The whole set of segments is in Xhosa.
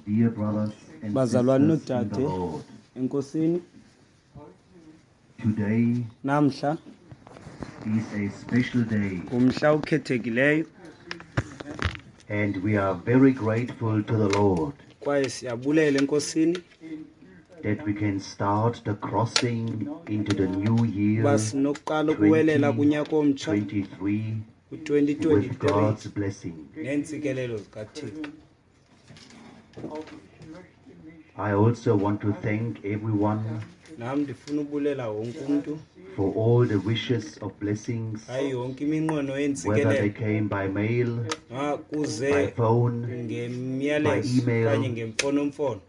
Dear brothers and Bazalwane sisters in the noodade Lord, enkosini, today namhla is a special day, ngumhla okhethekileyo and we are very grateful to the Lord kwaye siyabulela enkosini that we can start the crossing into the new year uba sinokuqala ukuwelela kunyaka omtsha 2023 with ku-2023 God's blessing. neentsikelelo zikaThixo. I also want to thank everyone Nam ndifuna ubulela wonke umntu for all the wishes of blessings, hayi yonke iminqweno whether they yeentsikelelo came by mail, ma by kuze phone, by ngemiyalezo email. okanye ngemfonomfono,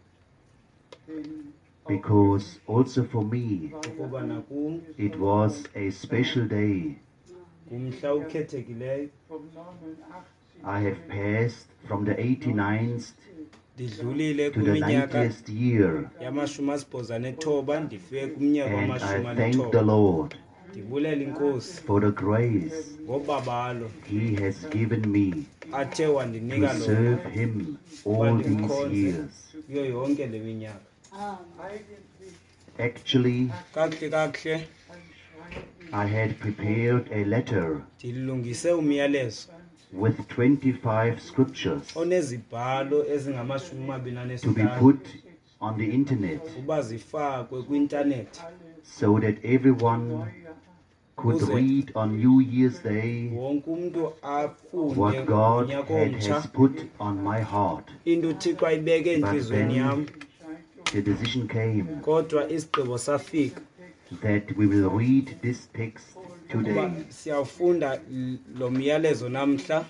because also for me ukuba nakum it was a special day. ngumhla okhethekileyo. I have passed from the 89th Ndidlulile to the kwiminyaka 90th year, yama-89, ndifike kumnyaka and I wamashumi thank the alithoba. Lord Ndibulela inkosi for the grace ngobabalo He has given me athe to wandinika lona serve Him uba all these ndimkhonze years. kuyo yonke le minyaka. Actually, Kakuhle kakuhle I had prepared a letter ndilungise umyalezo with 25 scriptures onezibhalo to be ezingama-25 put on the internet uba zifakwe kwi-intanethi so that everyone could ukuze read on New Year's Day wonke umntu afunde what God ngonyaka omtsha has put on my heart. into uThixo ayibeke But entliziyweni then yam. the decision came Kodwa isigqibo safika that we will read this text ukuba today, siyawufunda lo myalezo namhla,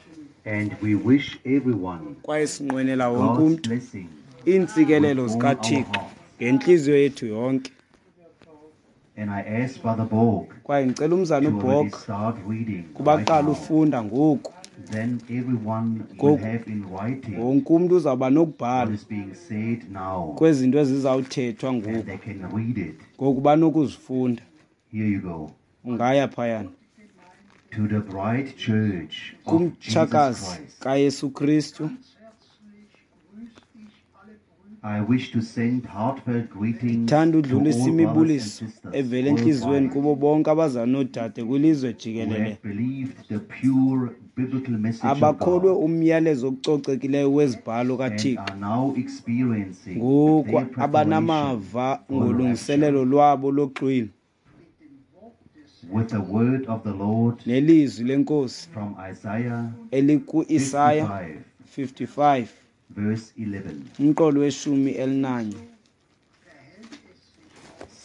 and we wish everyone kwaye sinqwenela wonke God's umntu blessing iintsikelelo with all our zikaThixo hearts. ngentliziyo yethu yonke. And I ask Brother Borg Kwaye ndicela umzana to already uBorg start reading kuba right aqale now. ufunda ngoku. Then everyone will Ngoku have in writing wonke umntu uzawuba what nokubhala is being said now, kwezinto ezizawuthethwa and ngoku, they can read it. ngoku banokuzifunda. Here you go. Ungaya phayana To the bride church of Jesus kumtshakazi Christ, kaYesu Kristu. I wish to send heartfelt greetings Ndithanda to udlulisa all brothers and imibuliso sisters evela entliziyweni worldwide kubo bonke abazali noodade kwilizwe who jikelele have believed the pure biblical message of abakholwe God umyalezo ococekileyo wezibhalo and kaThixo, are now experiencing ngoku their preparation abanamava for the ngolungiselelo rapture. lwabo loxwilo With the word of the Lord nelizwi lenkosi from Isaiah elikuIsaya 55, 55 verse 11. umqolo weshumi elinanye.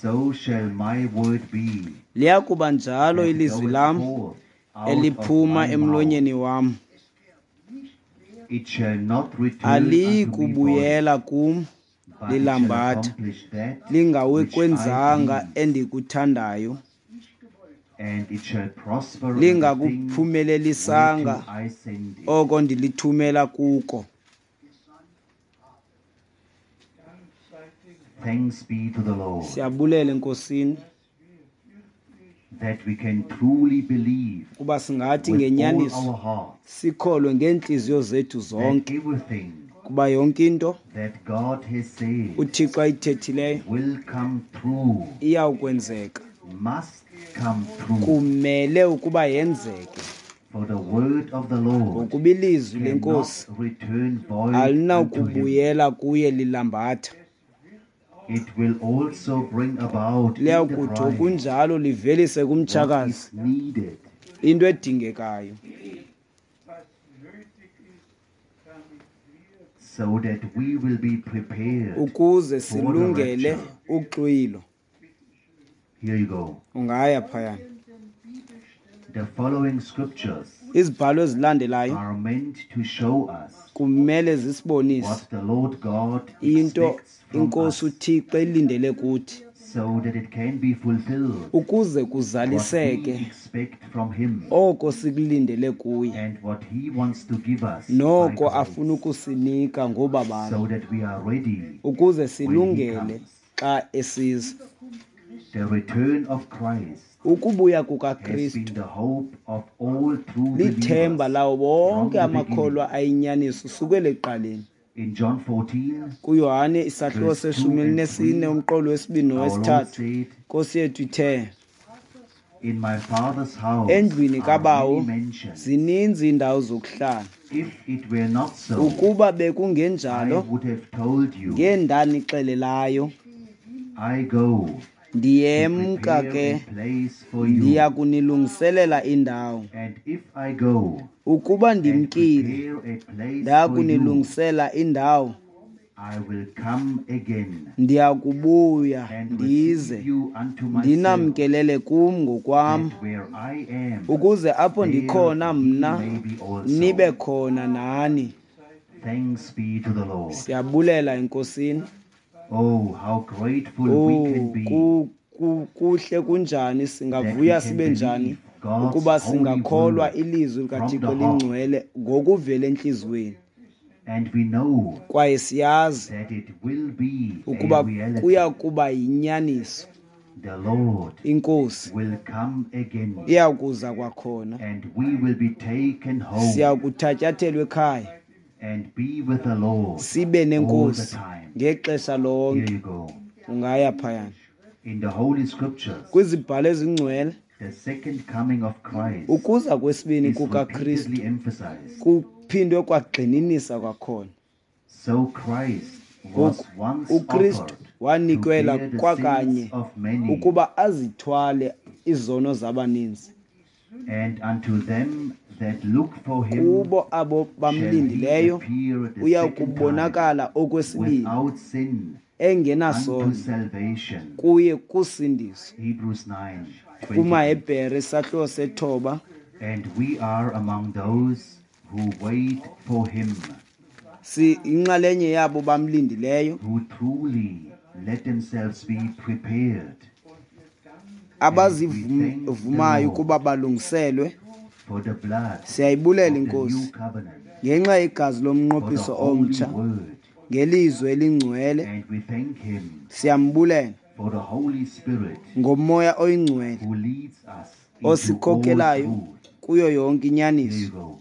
So shall my word be Liya kuba njalo that ilizwi goeth lam forth out of eliphuma my mouth. emlonyeni wam, It shall not return unto me void, aliyikubuyela kum but it shall lilambatha accomplish that which I lingawekwenzanga please, endikuthandayo, and it shall prosper in the thing lingakuphumelelisanga whereto I send it. oko ndilithumela kuko. Thanks be to the Lord Siyabulela enkosini that we can truly believe kuba singathi with all ngenyaniso our hearts sikholwe ngeentliziyo zethu that zonke everything kuba yonke into that God has said uThixo ayithethileyo will come true, iyawukwenzeka, must come true. kumele ukuba yenzeke, For the word of the Lord ngokuba ilizwi cannot lenkosi return void unto him. alinakubuyela kuye lilambatha. It will also bring about in the Liyawukuthi bride okunjalo livelise what kumtshakazi is needed into edingekayo, so that we will be prepared ukuze for the silungele rapture. uxwilo. Here you go. Ungaya phayana. The following scriptures Izibhalo ezilandelayo are meant to show us kumele zisibonise what the Lord God into expects from inkosi us uThixo elindele kuthi so that it can be fulfilled ukuze what we kuzaliseke expect from Him oko sikulindele kuye and what He wants to give us by noko afuna grace, ukusinika ngobabalo, so that we are ready ukuze when He silungele comes. xa esiza. The return of Christ Ukubuya has been kukaKristu the hope of all true lithemba believers lawo from bonke the beginning. amakholwa ayinyaniso sukela ekuqaleni. In John 14, KuYohane isahluko verse 2 seshumi and elinesine 3, umqolo wesibini our Lord nowesithathu, said, Nkosi yethu ithe, In my Father's house endlwini are kabawo many mansions. zininzi iindawo zokuhlala. If it were not so, Ukuba I bekungenjalo, would have told you, ngendanixelelayo. I go to Ndiyemka prepare ke, a place for you. ndiya kunilungiselela indawo. And if I go Ukuba and ndimkile, prepare a place ndaya for you, kunilungisela indawo, I will come again ndiya kubuya and ndize receive you unto myself, ndinamkelele kum ngokwam, that where I am, ukuze apho there ndikhona ye mna may be also. nibe khona nani. Thanks be to the Lord. Siyabulela eNkosini. Oh, how grateful we Oh, can be kuhle kunjani, that we singavuya can sibe njani believe God's ukuba holy singakholwa word ilizwi from likaThixo the heart. elingcwele ngokuvela entliziyweni. And we know Kwaye siyazi that it will be a ukuba reality. kuya kuba yinyaniso. The Lord INkosi will come again, iya kuza kwakhona, and we will be taken home siya kuthatyathelwa ekhaya, and be with the Lord sibe all the nenkosi time. ngexesha Here lonke. you go. Ungaya phayana In the Holy Scriptures, kwizibhalo ezingcwele, the second coming of Christ ukuza kwesibini is kukaKristu repeatedly emphasized. kuphindwe kwagxininisa kwakhona. So Christ was Ngoku once uKristu offered to wanikelwa bear the kwakanye sins of many, ukuba azithwale izono zabaninzi. and unto them that look for him Kubo abo shall he bamlindileyo appear the uya second time kubonakala okwesibini without sin unto engenasono salvation. kuye kusindiso. Hebrews 9:28. KumaHebhere isahluko sethoba. And we are among those who wait for him, Si inxalenye yabo bamlindileyo, who truly let themselves be prepared abazivumayo ukuba balungiselwe. for the blood Siyayibulela of the new iNkosi covenant, ngenxa yegazi for the lomnqophiso holy omtsha, word. ngelizwi elingcwele. And we thank him Siyambulela for the Holy Spirit ngomoya oyingcwele who leads us into all osikhokhelayo truth. kuyo yonke Here you inyaniso. go.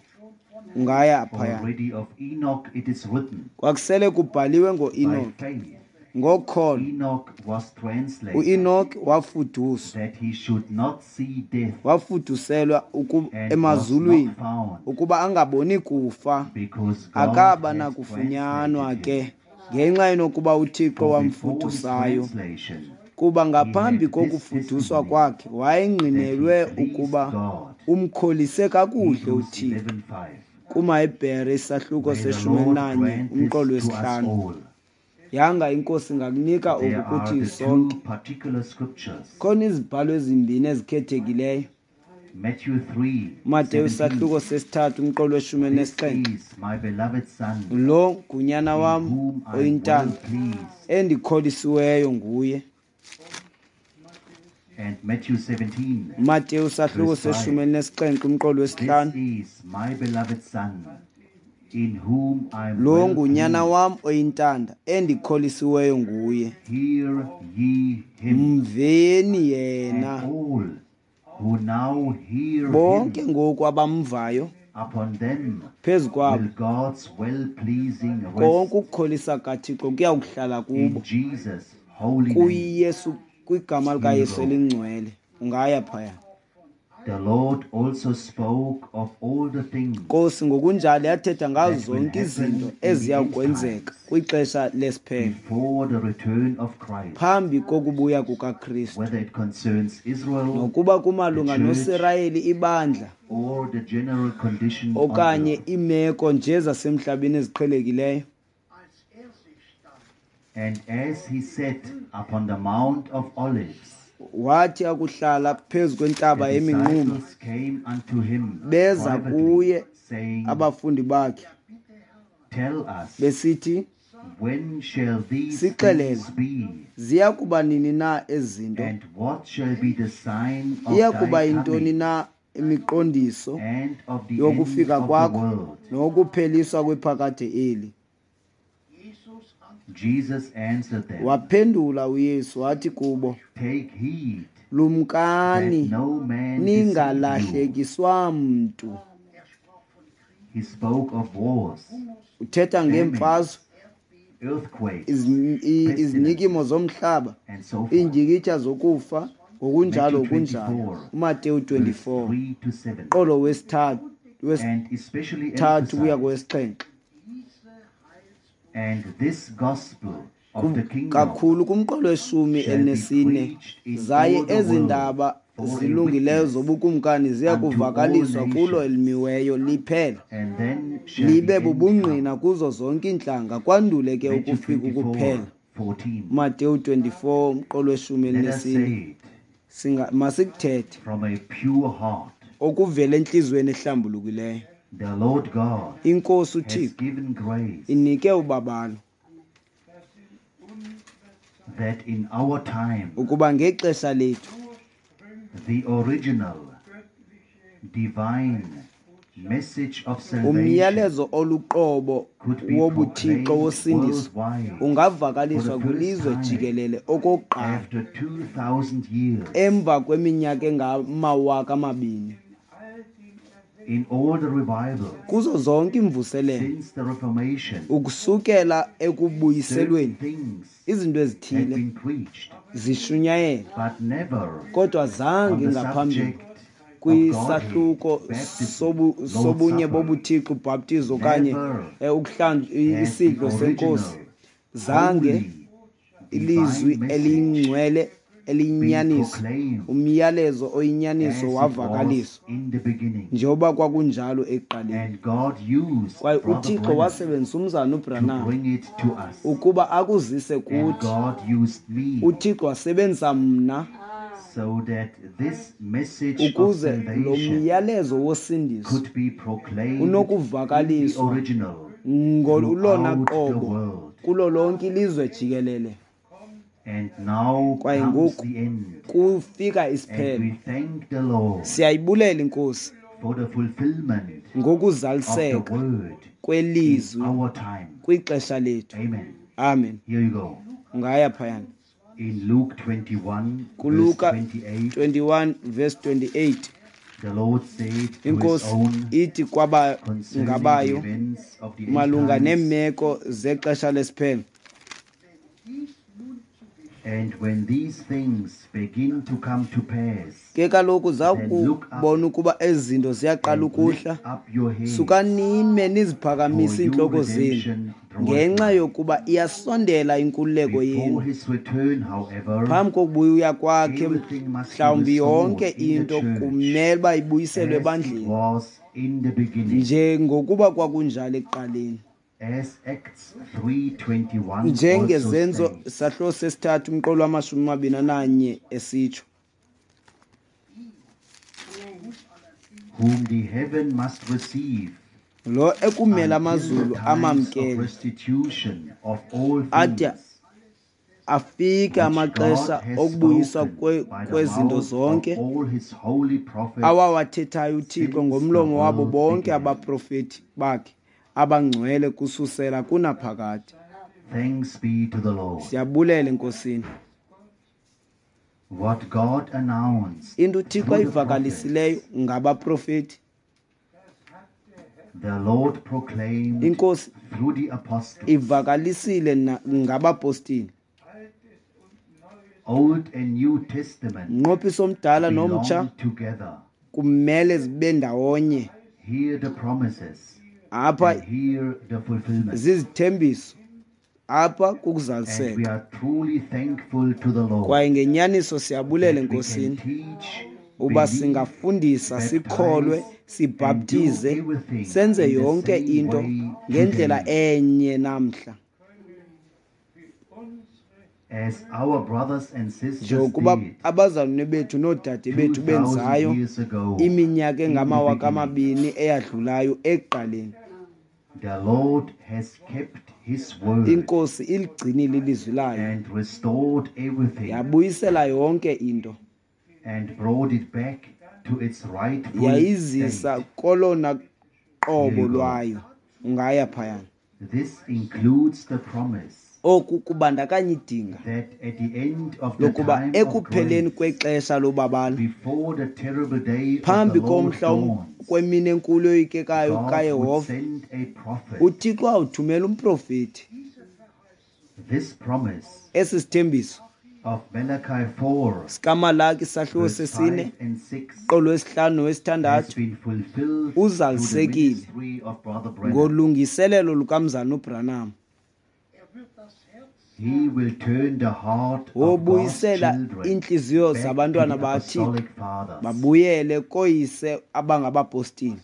Ungaya phaya. Already of Enoch it is written, Kwakusele kubhaliwe by ngoEnoki, faith ngokholo Enoch was translated uEnoki wafuduswa, that he should not see death, wafuduselwa and was emazulwini not found, ukuba angaboni kufa. because God Akaba had nakufunyanwa translated him. ke ngenxa enokuba uThixo For before his wamfudusayo. translation, Kuba ngaphambi he had this kokufuduswa testimony kwakhe wayengqinelwe that he pleased ukuba God. umkholise kakuhle Hebrews uThixo. 11:5. KumaHebhere isahluko May the seshumi Lord elinanye grant umqolo this to us wesihlanu. all. Yanga iNkosi ingakunika There oku are kuthi the sonke. two particular scriptures. Khona izibhalo ezimbini ezikhethekileyo. Matthew 3, Mateyu 17. isahluko sesithathu umqolo weshumi This elinesixhenxe. is my beloved Son, Lo ngunyana in wam whom I am well oyintanda pleased. endikholisiweyo nguye. And Matthew 17, Mateyu isahluko verse 5. seshumi elinesixhenxe umqolo This wesihlanu. is my beloved Son, in whom I am Lo well ngunyana pleased. wam oyintanda endikholisiweyo nguye. Hear ye him. Mveni And yena. all who now hear Bonke him, ngoku abamvayo upon them phezu kwabo will God's well-pleasing konke rest ukukholisa kaThixo kuya kuhlala in kubo Jesus' holy name. kuYesu, kwigama likaYesu elingcwele. Ungaya phaya. The Lord also spoke of all the things Nkosi ngokunjalo yathetha ngazo that will zonke izinto happen in the eziya end kwenzeka times kwixesha lesiphelo before the return of Christ, phambi kokubuya kukaKristu, whether it concerns Israel, nokuba kumalunga the church, noSirayeli, ibandla, or the general condition on okanye earth. iimeko nje zasemhlabeni eziqhelekileyo. And as he sat upon the Mount of Olives, Wathi akuhlala phezu kwentaba the yeminquma, disciples came unto him beza privately, kuye saying, abafundi bakhe Tell us, besithi, when shall these Sixelele, things be, ziya kuba nini na ezi zinto? and what shall be the sign of Iya kuba thy yintoni coming na imiqondiso and of the end yokufika of the kwakho world? nokupheliswa kwephakade eli? Jesus answered them, Waphendula uYesu wathi kubo, Take heed that lumkani no man deceive you. ningalahlekiswa mntu. He spoke of wars, Uthetha famines, ngeemfazwe, earthquakes, izinyikimo zomhlaba, and so forth. iindyikitya zokufa, ngokunjalo Matthew kunjalo. 24, UMateyu verse 24 3 to 7. qolo wesithathu And especially wesithathu kuya emphasized, kowesixhenxe. and this gospel of the kingdom Kakhulu kumqolo weshumi shall be elinesine, preached in zaye all the ezi world ndaba for a zilungileyo witness zobukumkani ziya unto all kuvakaliswa kulo nations, elimiweyo liphela, and then shall the libe end come. bubungqina kuzo zonke iintlanga, kwandule ke Matthew ukufika 24, ukuphela. 14. Mateyu 24 umqolo weshumi Let us elinesine. say it Masikuthethe from a pure heart. okuvela entliziyweni ehlambulukileyo. The Lord God INkosi has uThixo given grace inike ubabalo that in our time ukuba ngexesha lethu the original divine message of salvation umyalezo oluqobo could be wobuthixo proclaimed wosindiso worldwide for ungavakaliswa the first kwilizwe time jikelele okokuqala after 2,000 years emva kweminyaka engama-2000 in all the revivals kuzo zonke iimvuselelo since the Reformation. ukusukela ekubuyiselweni. Certain things Izinto had ezithile been preached, zishunyayelwa, but never kodwa on zange the ngaphambili subject of kwisahluko Godhead, baptism, Lord's sobunye Supper. bobuthixo, ubhaptizo okanye Never ukuhlanjwa has isidlo the senkosi. original Zange holy ilizwi divine message eliyingcwele been eliyinyaniso, proclaimed umyalezo oyinyaniso as it was wavakaliswa in the beginning. njengoba kwakunjalo ekuqaleni. And God used Kwaye Brother uThixo Branham wasebenzisa umzana to uBranham bring it to us. ukuba akuzise And kuthi. God used me UThixo wasebenzisa mna so that this message of ukuze lo salvation myalezo wosindiso could be proclaimed in the unokuvakaliswa original ngolona throughout the qobo world. kulo lonke ilizwe jikelele. And now Kwaye comes ngoku the end. kufika And isiphelo. we thank the Lord Siyayibulela iNkosi for the fulfillment of the ngokuzaliseka word in kwelizwi our time. kwixesha lethu. Amen. Amen. Here you go. Ungaya phayana In Luke 21, verse kuLuka 28, 21 verse 28. the Lord said to his INkosi own ithi kwaba concerning the ngabayo events of the end malunga times, neemeko zexesha lesiphelo. and when these things begin to come to pass, Ke kaloku then look up zawukubona ukuba ezi zinto ziyaqala and ukuhla, lift up your heads, sukanime for niziphakamise your iintloko zenu, redemption draweth ngenxa nigh. yokuba iyasondela inkululeko Before yenu. his return, however, Phambi kokubuya kwakhe, everything must be mhlawumbi restored yonke in the into church kumele uba ibuyiselwe as it ebandleni was in the beginning, njengokuba kwakunjalo ekuqaleni. as Acts 3:21 also Njengezenzo says. sahluko sesithathu umqolo wamashumi amabini ananye esitsho, Whom the heaven must receive lo ekumele until the amazulu times of amamkele restitution of all ade things, afike which God amaxesha has okubuyiswa spoken by the kwezinto mouth of zonke all his holy prophets awawathethayo uThixo since the ngomlomo wabo world bonke began. abaprofeti bakhe abangcwele kususela kunaphakade. Thanks be to the Lord. Siyabulela eNkosini. What God announced Into uThixo through the prophets, ayivakalisileyo ngabaprofeti, the Lord proclaimed iNkosi through the apostles. ivakalisile ngabapostile. Old and New Testament Umnqophiso omdala nomtsha belong together. kumele zibe ndawonye. Hear the promises Apha and hear the fulfillment. zizithembiso, apha And we kukuzaliseka. are truly thankful to the Lord Kwaye ngenyaniso siyabulela that we can eNkosini teach, uba believe, singafundisa, sikholwe, baptize, and do sibhaptize, everything senze in the yonke same into way ngendlela today. enye namhla. As our brothers and sisters Njengokuba did abazalwane bethu noodade bethu 2,000 benzayo years ago iminyaka in the engamawaka beginning, amabini eyadlulayo ekuqaleni. the Lord has kept his word INkosi iligcinile ilizwi layo, and restored everything yabuyisela yonke into, and brought it back to its rightful yayizisa state. kolona Here qobo you go. lwayo. Ungaya phayana. This includes the promise Oku kubandakanya idinga that at the end of the lokuba time of ekupheleni grace, kwexesha lobabalo, before the terrible day of the phambi Lord komhla dawns, kwemini enkulu eyoyikekayo God would kaYehova, send a prophet uThixo awuthumela umprofeti This promise Esi sithembiso of Malachi 4, sikaMalaki isahluko verse sesine 5 and 6 qolo wesihlanu has nowesithandathu been fulfilled through the uzalisekile ministry of Brother Branham. ngolungiselelo lukamzana uBranham. He will turn the heart of God's Wobuyisela children iintliziyo back to zabantwana the baThixo apostolic fathers. babuyele kooyise abangabapostile.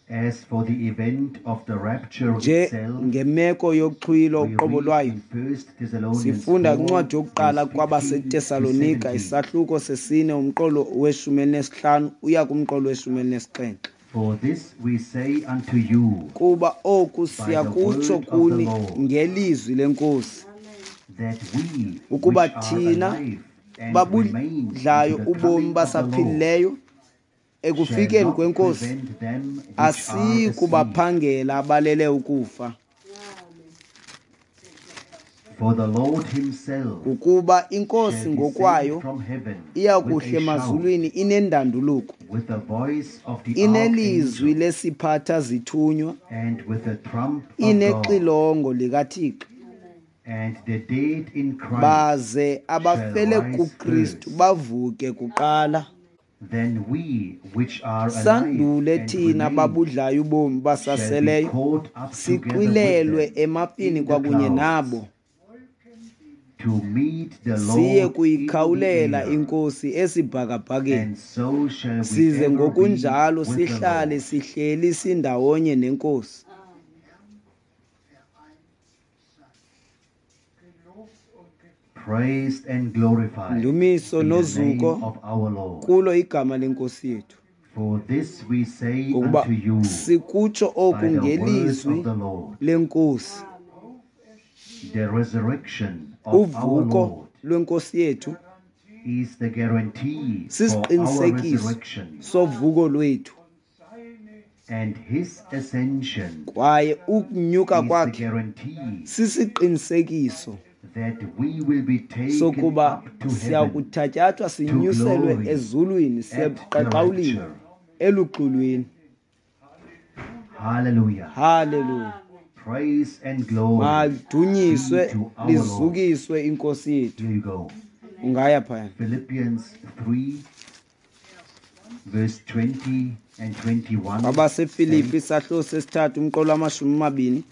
As for the event of the rapture Nje itself, ngemeko yoxhwilo we uqobo read lwayo in 1 Thessalonians sifunda 4, kwincwadi yokuqala verse 15 to kwabaseTesalonika 17. isahluko sesine umqolo weshumi elinesihlanu uya kumqolo weshumi elinesixhenxe. For this we say unto you, Kuba oku by the siyakutsho word of the kuni Lord, ngelizwi lenkosi that we ukuba which are thina alive and remain babudlayo unto the ubomi coming of the Lord basaphilileyo shall ekufikeni not kwenkosi prevent them which are asiyi asleep. kubaphangela abalele ukufa. For the Lord himself Ukuba inkosi shall descend ngokwayo from heaven iya with kuhle a shout, emazulwini inendanduluko with the voice of the inelizwi archangel, lesiphatha zithunywa and with the trump of God, inexilongo likaThixo and the dead in Christ baze shall abafele rise kuKristu first. bavuke kuqala. Then we which are alive Sandule and thina remain babudlayo ubomi shall be basaseleyo caught up together with sixwilelwe them emafini in the kwakunye clouds nabo to meet the siye Lord in the kuyikhawulela air, inkosi esibhakabhakeni and so shall we size ever be ngokunjalo with the sihlale Lord. sihleli sindawonye nenkosi. Praised and glorified Ndumiso be the name nozuko of our Lord. kulo igama lenkosi yethu. For this we say Ngokuba unto you sikutsho oku by the word ngelizwi of the Lord, lenkosi the resurrection of our uvuko Lord lwenkosi yethu is the guarantee for our sisiqinisekiso resurrection, sovuko lwethu and his ascension kwaye ukunyuka is the kwakhe guarantee sisiqinisekiso that we will be taken sokuba up to heaven siyakuthatyathwa to sinyuselwe glory ezulwini at the siyebuqaqawulini rapture. eluxulwini. Hallelujah. Haleluya. Praise and glory Madunyiswe be to our Lord. lizukiswe inkosi yethu. Here you go. Ungaya phaya. Philippians 3, verse 20 and 21 KwabaseFilipi says, isahluko sesithathu umqolo wamashumi amabini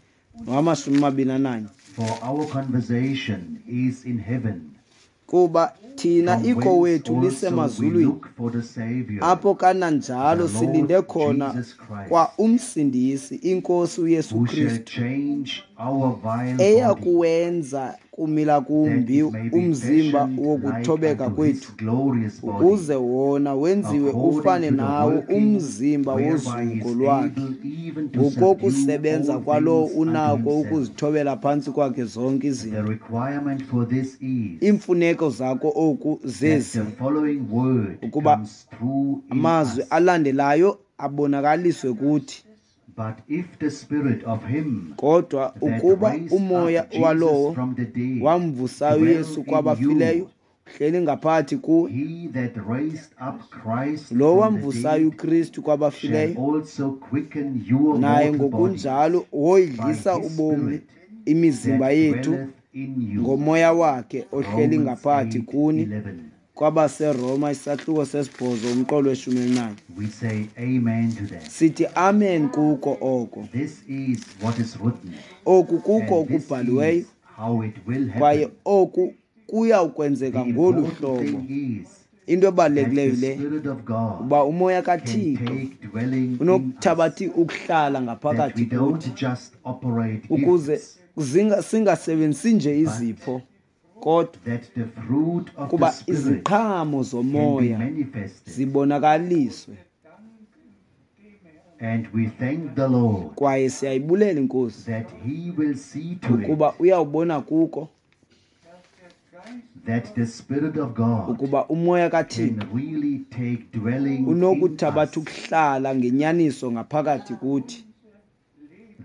nowamashumi amabini ananye. For our conversation is in heaven, Kuba thina from iko whence wethu also we lisemazulwini look for the Savior, apho kananjalo the silinde Lord khona Jesus Christ, kwa umsindisi inkosi uYesu who shall Kristu change our vile body, eyakuwenza kumila that kumbi it may be umzimba fashioned like wokuthobeka unto his kwethu glorious body, ukuze wona wenziwe according ufane to the nawo working umzimba whereby he wozuko is lwakhe able even to subdue ngokokusebenza all kwalowo things unto unako himself. ukuzithobela phantsi kwakhe zonke The izinto. requirement for this is Iimfuneko zako oku that zezi the following word ukuba comes through in amazwi us. alandelayo abonakaliswe kuthi. But if the spirit of him Kodwa that ukuba raised umoya up Jesus walowo from the dead wamvusayo dwell uYesu in kwabafileyo you, uhleli ngaphakathi kuwe, he that raised up Christ lo from the wamvusayo dead uKristu shall kwabafileyo also quicken your naye mortal bodies ngokunjalo by woyidlisa his ubomi spirit imizimba that yethu dwelleth in you. ngomoya wakhe ohleli Romans ngaphakathi kuni. 8:11. KwabaseRoma isahluko sesibhozo umqolo weshumi elinanye. We say amen to that. Sithi amen kuko oko. This is what is written, Oku kuko and this okubhaliweyo is how it will kwaye happen. oku kuya ukwenzeka The ngolu important hlobo. thing is Into that ebalulekileyo the le Spirit of God uba umoya can kaThixo take dwelling in us, unokuthabatha ukuhlala that we ngaphakathi kuthi don't just operate ukuze gifts, singasebenzisi nje but izipho kodwa that the fruit of the kuba Spirit iziqhamo can be zomoya manifested. zibonakaliswe. And we thank the Lord Kwaye siyayibulela inkosi that He will see to it ukuba uyawubona kuko that the Spirit of God ukuba umoya can kaThixo really take dwelling in unokuthabatha us, ukuhlala ngenyaniso ngaphakathi kuthi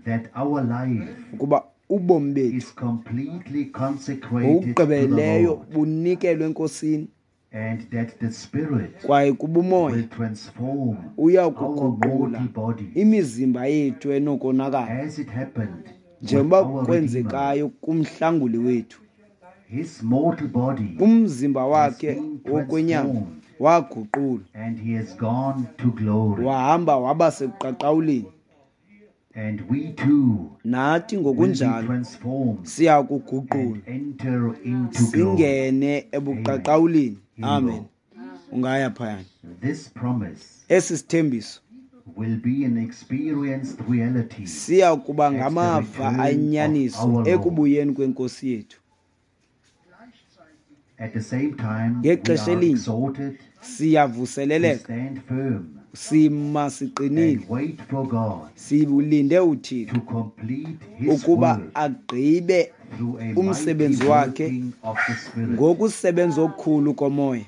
that our life ukuba ubomi bethu is completely consecrated to the ngokugqibeleleyo Lord, bunikelwe enkosini and that the Spirit kwaye kuba umoya will transform uya our kuguqula mortal bodies imizimba yethu enokonakala as it happened Njengoba with our Redeemer. Kwenzekayo kumhlanguli wethu. His mortal body Umzimba has wakhe been wokwenyama transformed, waguqulwa and he has gone to glory. Wahamba waba sekuqaqawulini. And we too Nathi will be ngokunjalo transformed siya kuguqulwa and enter into glory. singene ebuqaqawulini. Here you Amen. go. Ungaya phayana. This promise Esi sithembiso will be an experienced reality siya kuba at the ngamava return of ayinyaniso our Lord. Ekubuyeni kwenkosi yethu. At the same time, we Ngexesha are elinye exhorted to siyavuseleleka stand firm sima siqinile and wait for God silinde uThixo to complete His ukuba work agqibe through a mighty umsebenzi wakhe working of the Spirit. ngokusebenza okukhulu komoya.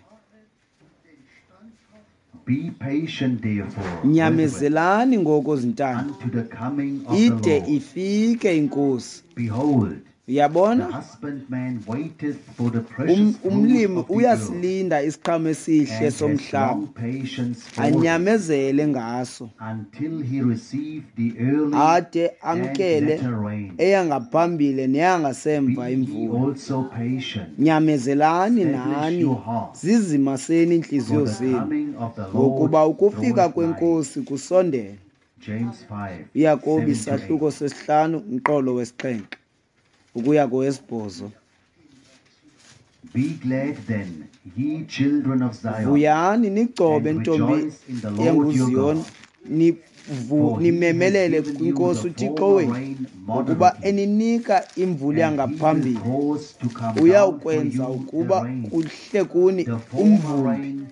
Be patient, therefore, brethren, Nyamezelani ngoko zintanda unto the coming of the ide Lord. Ifike inkosi. Behold, the Uyabona husbandman waiteth for the precious fruit umlimi of the earth, uyasilinda isiqhamo esihle and has somhlaba long patience for it, anyamezele ngaso until he receive the early ade and amkele latter rain. Eyangaphambili Be neyangasemva ye imvula. also patient. Nyamezelani Establish nani your heart, zizimaseni iintliziyo for the zenu coming of the Lord ngokuba ukufika draweth nigh. kwenkosi kusondele. James 5, Yakobi 7 to isahluko 8. 5 umqolo wesi-7 ukuya kowesibhozo. Be glad then, ye children of Zion, Vuyani nigcobe and ntombi rejoice in the Lord your yenguZiyon God, for he has nimemelele given you kwinkosi the uThixo former wenu rain ngokuba moderately, eninika imvula and he will yangaphambili cause to come down for uyawukwenza you the ukuba rain, kuhle kuni the former umvumbi rain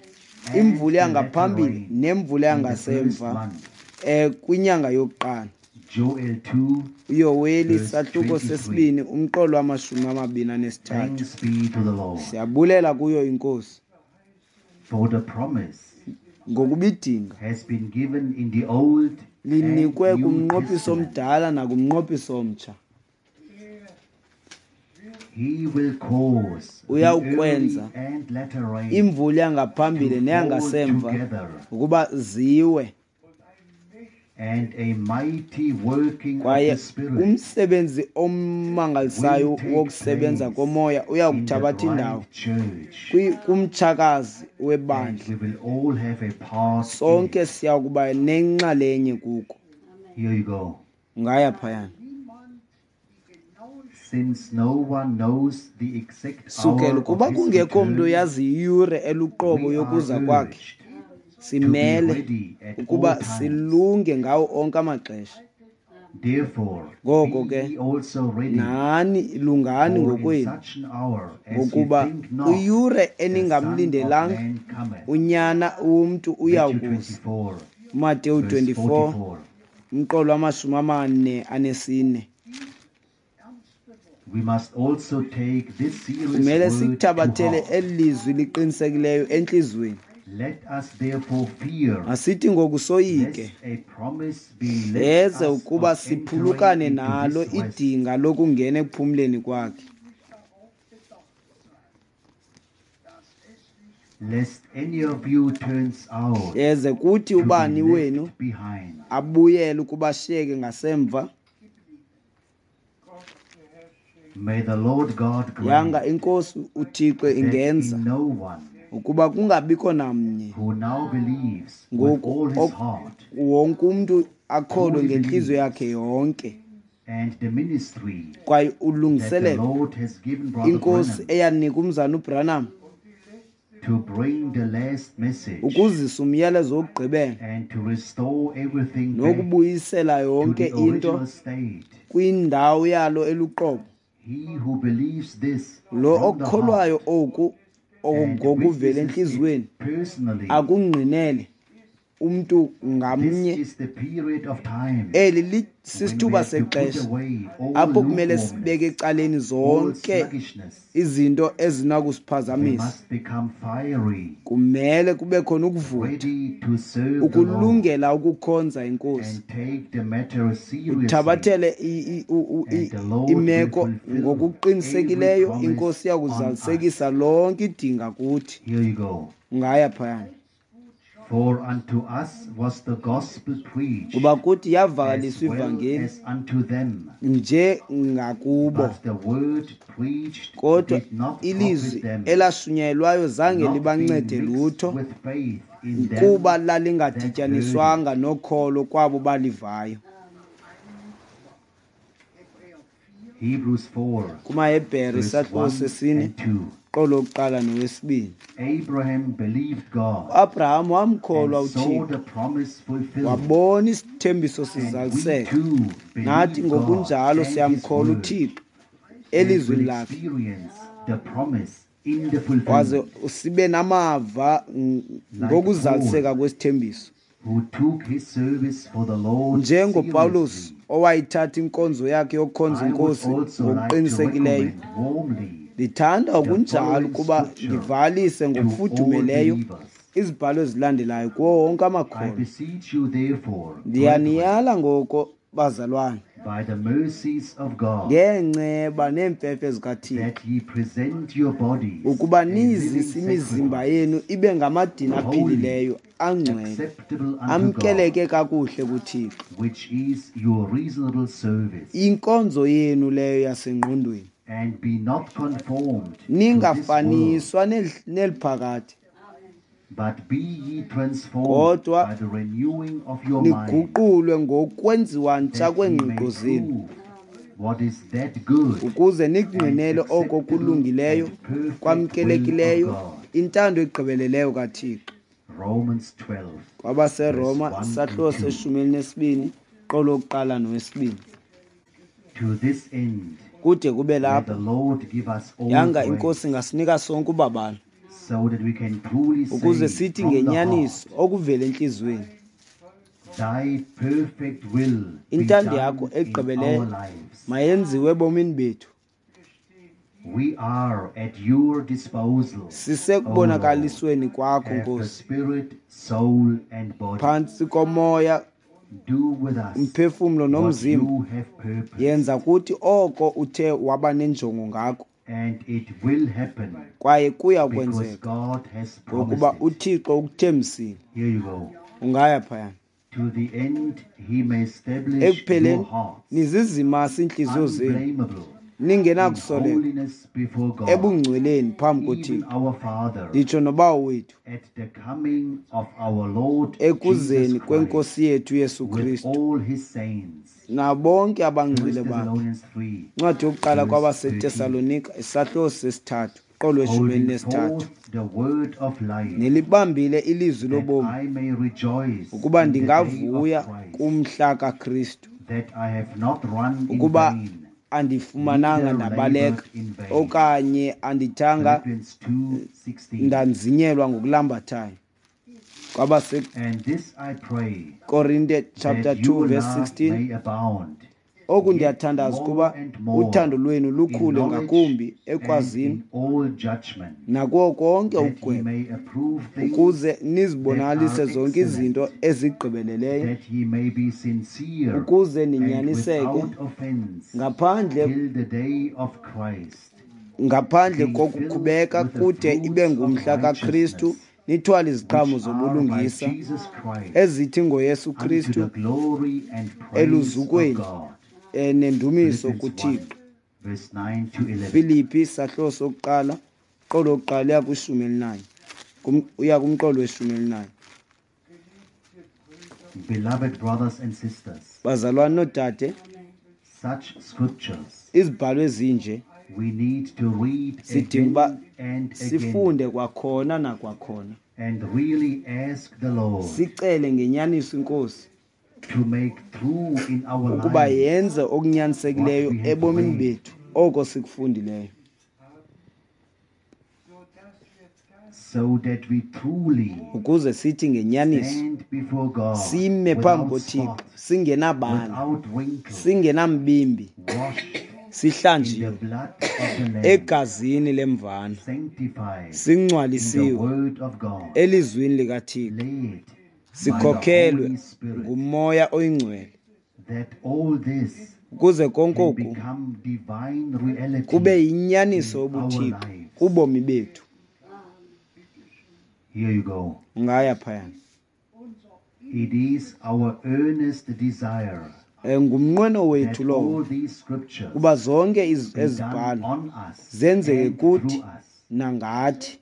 and imvula the latter yangaphambili rain nemvula in the first yangasemva month. Kwinyanga yokuqala. Joel 2, uYoweli verse sahluko 23. 2 umqolo wama-23. Thanks be to the Lord Siyabulela kuyo inkosi for the promise ngokuba idinga has been given in the Old and linikwe New kumnqophiso Testament. omdala nakumnqophiso omtsha. He will cause the Uyawukwenza early and latter rain imvula yangaphambili to fall neyangasemva together, ukuba ziwe and a mighty working of kwaye the Spirit umsebenzi omangalisayo will take wokusebenza place komoya in the uyakuthabatha indawo bride church, kumtshakazi and webandla. we will all have a part in Sonke it. siya kuba nenxalenye kuko. Here you go. Ungaya phayana. Since no one knows the exact Sukela hour of kuba his kungekho mntu return, oyazi iyure eluqobo we are yokuza kwakhe urged to be simele ready at all ukuba times. silunge ngawo onke amaxesha. Therefore, Ngoko be ke ye also ready, nani lungani for in ngokwenu such an hour as ye ngokuba think not, kwiyure the Son of eningamlindelanga Man cometh. unyana womntu Matthew uyawukuza. 24, Mateyu verse 24 44. umqolo wama-44. We must also take this serious Kumele word to sikuthabathele heart. eli lizwi liqinisekileyo entliziyweni. Let us therefore fear, Masithi ngoku soyike lest a promise be left hleze us ukuba of entering siphulukane into nalo his rest. idinga lokungena ekuphumleni kwakhe. Lest any of you turns out Hleze kuthi to be ubani wenu left behind. abuyele ukuba ashiyeke ngasemva. May the Lord God Yanga grant inkosi uThixo that ingenza in no one ukuba kungabikho namnye who now believes with ngoku all his heart wonke umntu akholwe truly ngentliziyo believes yakhe yonke and the ministry kwaye that the ulungiselelo Lord has given Brother inkosi Branham eyanika umzana uBranham to bring the last message ukuzisa umyalezo wokugqibela and to restore everything back nokubuyisela to yonke the into original state. kwindawo yalo eluqobo. He who believes this Lo from the okukholwayo heart oku and ngokuvela witnesses entliziyweni it personally, akungqinele umntu this ngamnye is the period of time eli when we sisithuba have to put sexesha away all apho kumele lukewarmness, sibeke ecaleni all zonke sluggishness. Izinto We ezinakusiphazamisa. Must become fiery, Kumele kube khona ukuvutha ready to serve the Lord ukulungela ukukhonza inkosi and take the matter seriously. uthabathele And the Lord will imeko fulfill every ngokuqinisekileyo promise inkosi on iyakuzalisekisa us. lonke idinga kuthi. Here you go. Ungaya phayana. For unto us was the gospel preached, Kuba kuthi as yavakaliswa well ivangeli as unto them. nje ngakubo, But the word preached kodwa did not ilizwi profit them, elashunyayelwayo zange not being libancede mixed lutho, with faith in them kuba that heard it. lalingadityaniswanga nokholo kwabo balivayo. Hebrews 4, KumaHebhere verse isahluko 1 sesine and 2. qolo lokuqala nowesibini. Abraham believed God UAbraham wamkholwa and saw uThixo, the promise fulfilled. wabona isithembiso And we sizaliseka. too Nathi believe God ngokunjalo and His siyamkholwa word uThixo and elizwini will lakhe, experience the promise in the waze fulfillment. sibe namava Like ngokuzaliseka Paul, kwesithembiso. who took his service for the Lord NjengoPawulos seriously, owayithatha inkonzo yakhe yokukhonza I would inkosi also like to ngokuqinisekileyo, recommend warmly ndithanda the okunjalo following ukuba scripture ndivalise to all ngokufudumeleyo believers. izibhalo ezilandelayo kuwo wonke I amakholwa. beseech you, therefore, brethren, Ndiyaniyala ngoko, bazalwane, by the mercies of God, ngeenceba neemfefe zikaThixo, that ye present your bodies ukuba a living nizise imizimba sacrifice, yenu ibe ngamadini holy, aphilileyo, angcwele, acceptable unto God, amkeleke kakuhle kuThixo, which is your reasonable service. inkonzo yenu leyo yasengqondweni. And be not conformed to this world, Ningafaniswa neliphakade, but be ye transformed kodwa by the renewing of your mind, niguqulwe ngokwenziwa ntsha that ye may kweengqiqo zenu, prove what is that good ukuze and nikungqinele oko acceptable kulungileyo, and perfect will of kwamkelekileyo, God. intando egqibeleleyo kaThixo. Romans 12, verse KwabaseRoma 1 and isahluko 2. seshumi elinesibini qolo lokuqala nowesibini. To this end, Kude kube may the lapho, Lord give us all yanga inkosi grace, ingasinika sonke ubabalo, so that we can truly ukuze say sithi from the heart, ngenyaniso okuvela entliziyweni, Thy perfect will be intando yakho done in our egqibeleyo lives. mayenziwe ebomini bethu. We are at your disposal, O Lord. Sisekubonakalisweni kwakho, Have the Nkosi, spirit, soul, and body. phantsi komoya, Do with us umphefumlo what nomzimba. you have purposed, Yenza kuthi oko uthe waba nenjongo ngako, and it will happen kwaye kuya because kwenzeka, God has ngokuba promised it. uThixo ukuthembisile. Here you go. Ungaya phayana. To the end he may establish your Ekupheleni hearts nizizimase iintliziyo zenu, unblameable in ningenakusoleka holiness before God, ebungcweleni phambi even koThixo, our Father, nditsho noBawo wethu, at the coming of our Lord Jesus ekuzeni Christ kwenkosi yethu Yesu with Kristu all his saints. nabonke 1 abangcwele bakhe. Thessalonians 3, Incwadi yokuqala verse 13. kwabaseTesalonika isahluko sesithathu qolo weshumi Holding elinesithathu. forth the word of life, Nilibambile ilizwi that lobomi, I may rejoice ukuba in the day of ndingavuya Christ, kumhla kaKristu, that I have not run in ukuba vain, andifumananga neither ndabaleka, labored in vain. okanye andithanga Philippians 2:16. ndanzinyelwa ngokulambathayo. And this I pray, KwabaseKorinte chapter that 2 your verse love 16. may abound Oku yet ndiyathandaza more ukuba and more uthando lwenu in lukhule knowledge ngakumbi and ekwazini in all judgment, nakuwo konke that ye ukugweba, may approve things ukuze that nizibonakalise are zonke izinto excellent, ezigqibeleleyo, that ye may be sincere ukuze and ninyaniseke without offense ngaphandle till the day of Christ, ngaphandle being filled kokukhubeka with the kude ibe fruits of ngumhla kaKristu, righteousness, nithwale iziqhamo which are by zobulungisa Jesus Christ, ezithi ngoYesu unto the Kristu glory and praise of eluzukweni God. nendumiso Philippians 1, kuThixo. verse 9 to 11. Filipi sahluko sokuqala qolo lokuqala uya kwishumi elinanye, uya kumqolo weshumi elinanye. Beloved brothers and sisters, Bazalwane noodade, such scriptures izibhalo ezinje we need to read sidinga uba again and again sifunde kwakhona nakwakhona, and really ask the Lord sicele ngenyaniso inkosi to make true in our ukuba lives yenze okunyanisekileyo what we have ebomini read, bethu oko sikufundileyo, so that we truly ukuze sithi ngenyaniso stand before God sime phambi without koThixo spot, singenabala, without wrinkle, singenambimbi, washed in the sihlanjiwe blood of the Lamb, egazini lemvana, sanctified in the singcwalisiwe word of God, elizwini likaThixo, led by the sikhokhelwe Holy Spirit, nguMoya oyiNgcwele, that all this ukuze konke can oku become divine reality kube yinyaniso in our yobuThixo lives. kubomi bethu. Here you go. Ungaya phayana. It is our earnest desire Ngumnqweno wethu that lowo all these scriptures kuba zonke be done ezibhalo on us zenzeke and kuthi through us. nangathi.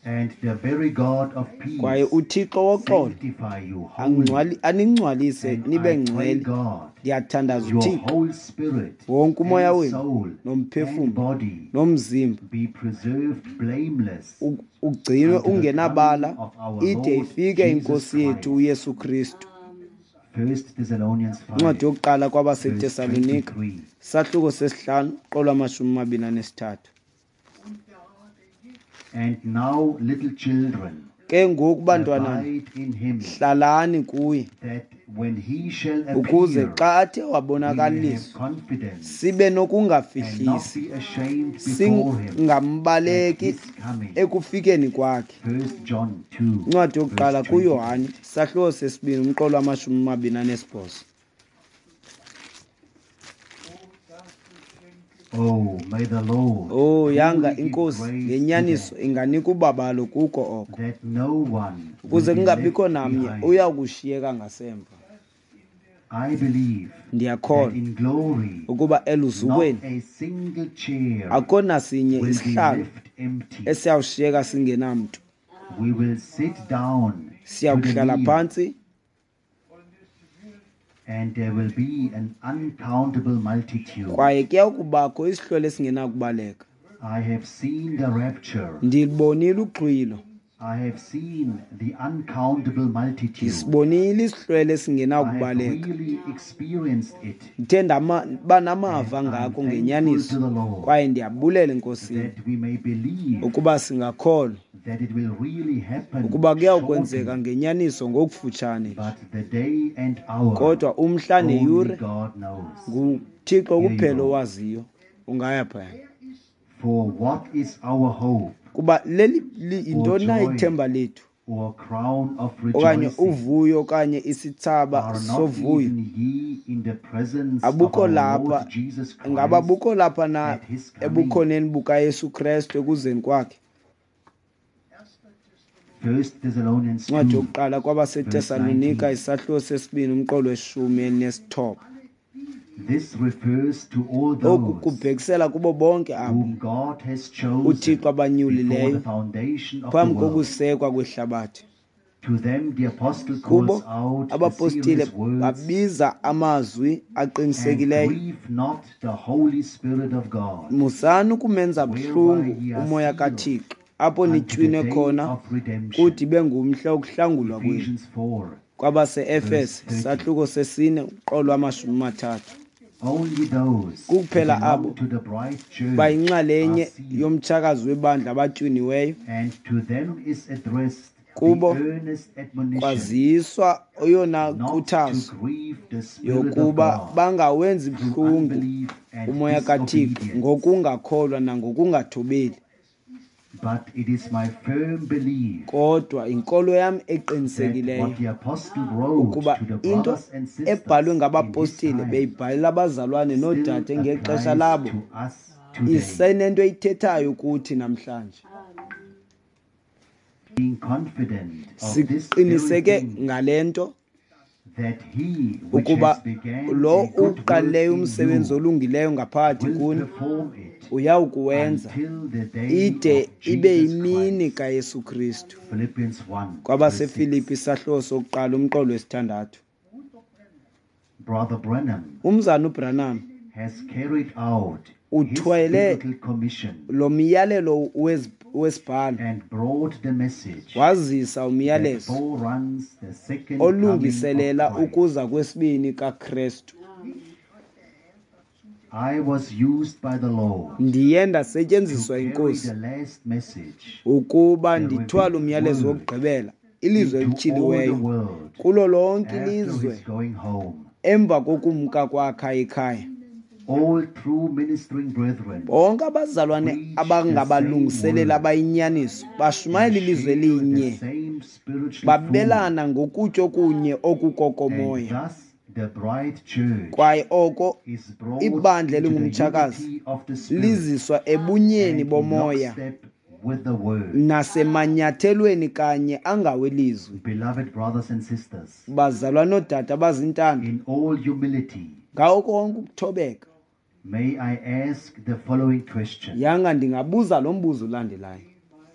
And the very God of peace Kwaye uThixo woxolo sanctify you wholly. aningcwalise And nibe I pray ngcwele. God, Ndiyathandaza your uThixo whole spirit wonke umoya and wenu soul and nomphefumlo body nomzimba be preserved blameless ugcinwe unto the ungenabala coming of our ide Lord ifike Jesus inkosi yethu Christ. uYesu Kristu. 1 Thessalonians 5, Incwadi yokuqala verse kwabaseTesalonika 23. sahluko sesihlanu qolo 23. And now, little children, Ke ngoku bantwana abide in him, hlalani kuye that when he shall ukuze appear, xa athe we may have wabonakaliswa confidence sibe and not nokungafihlisi be ashamed before him at singambaleki his coming. ekufikeni kwakhe. 1 John 2, Incwadi yokuqala verse 20. kuYohane sahluko sesibini umqolo 28. Oh, may the Lord Oh yanga truly give inkosi grace to ngenyaniso that, inganika ubabalo kuko oko that no one will ukuze be kungabikho left namnye behind. uya kushiyeka ngasemva. I believe that Ndiyakholwa in glory, ukuba not eluzukweni a single chair akho nasinye will be isihlalo left empty. esiyawushiyeka singenamntu. We will sit down to the Siyakuhlala meal, phantsi and there will be an uncountable multitude. kwaye kuya kubakho isihlwele esingenakubaleka. I have seen the rapture. Ndilibonile uxhwilo, I have seen the uncountable multitude. ndisibonile isihlwele I have esingenakubaleka. really experienced it. Ndithe ndaba namava And I'm ngako thankful ngenyaniso to the Lord kwaye ndiyabulela eNkosini that we may believe ukuba singakholwa that it will really happen ukuba kuyawukwenzeka shortly. ngenyaniso ngokufutshane nje. But the day and hour Kodwa umhla only neyure God knows. nguThixo Here you kuphela go. owaziyo. Ungaya phaya. For what is our hope Kuba leli or yintoni na joy ithemba lethu or crown of okanye rejoicing? uvuyo okanye isithsaba Are not sovuyo? even ye in the presence of Abukho our lapha Lord Jesus ngaba Christ bukho lapha na at his coming? ebukhoneni bukaYesu Kristu ekuzeni kwakhe? 1 Thessalonians Incwadi 2, yokuqala verse kwabaseTesalonika 19. isahluko sesibini umqolo we-19. This refers to all Oku those kubhekisela kubo bonke abo whom God has uThixo chosen before abanyulileyo the foundation of the phambi world. kokusekwa kwehlabathi. To them the apostle Kubo calls out the abapostile serious words, babiza amazwi and aqinisekileyo, grieve not the Holy Spirit of God, musani ukumenza whereby buhlungu ye are umoya sealed kaThixo apho unto the nitywinwe day khona of redemption. kude ibe ngumhla wokuhlangulwa kwenu. Ephesians 4, Kwabase-Efese verse 30. sahluko sesine uqolo 30. Only those who Kuphela abo belong to the bride church are bayinxalenye sealed, yomtshakazi webandla abatywiniweyo and to them is addressed the kubo earnest admonition kwaziswa eyona not to nkuthazo grieve the Spirit of yokuba God bangawenzi through buhlungu unbelief and umoya kaThixo disobedience. ngokungakholwa nangokungathobeli. But it is my firm belief Kodwa inkolo yam that eqinisekileyo what the apostle wrote ukuba to the into brothers and ebhalwe sisters in his ngabapostile time beyibhalela abazalwane still noodade ngexesha applies labo to us today. isenento eyithethayo kuthi namhlanje. Being confident of this very Siqiniseke thing, ngale nto that he which ukuba has began lo a good work uqalileyo in umsebenzi you olungileyo ngaphakathi will kuni perform it uyawukuwenza until the day ide of ibe Jesus yimini Christ. kaYesu Kristu. Philippians 1, verse 6. KwabaseFilipi isahluko sokuqala umqolo wesithandathu. Brother Branham Umzana uBranham has carried out his uthwele biblical commission lo myalelo wesibhalo and brought the message wazisa that umyalezo foreruns the second coming of olungiselela Christ. ukuza kwesibini kaKristu. I was used by the Lord Ndiye to ndasetyenziswa carry yinkosi the last message, ukuba the ndithwale revealed umyalezo word, wokugqibela, ilizwi into all the elityhiliweyo world kulo lonke after ilizwe his going home. emva kokumka kwakhe ekhaya. All true ministering brethren Bonke abazalwane preach the same abangabalungiseleli word abayinyaniso and bashumayela ilizwi share the elinye, same spiritual food, babelana ngokutya okunye and okukokomoya. thus the bride church Kwaye oko is brought ibandla into the elingumtshakazi unity of the Spirit liziswa ebunyeni and in bomoya lockstep with the word. Nasemanyathelweni kanye angawelizwi. Beloved brothers and sisters, Bazalwa noodade abazintanda, in all humility, ngawo konke ukuthobeka, may I ask the following question. Yanga ndingabuza lo mbuzo ulandelayo.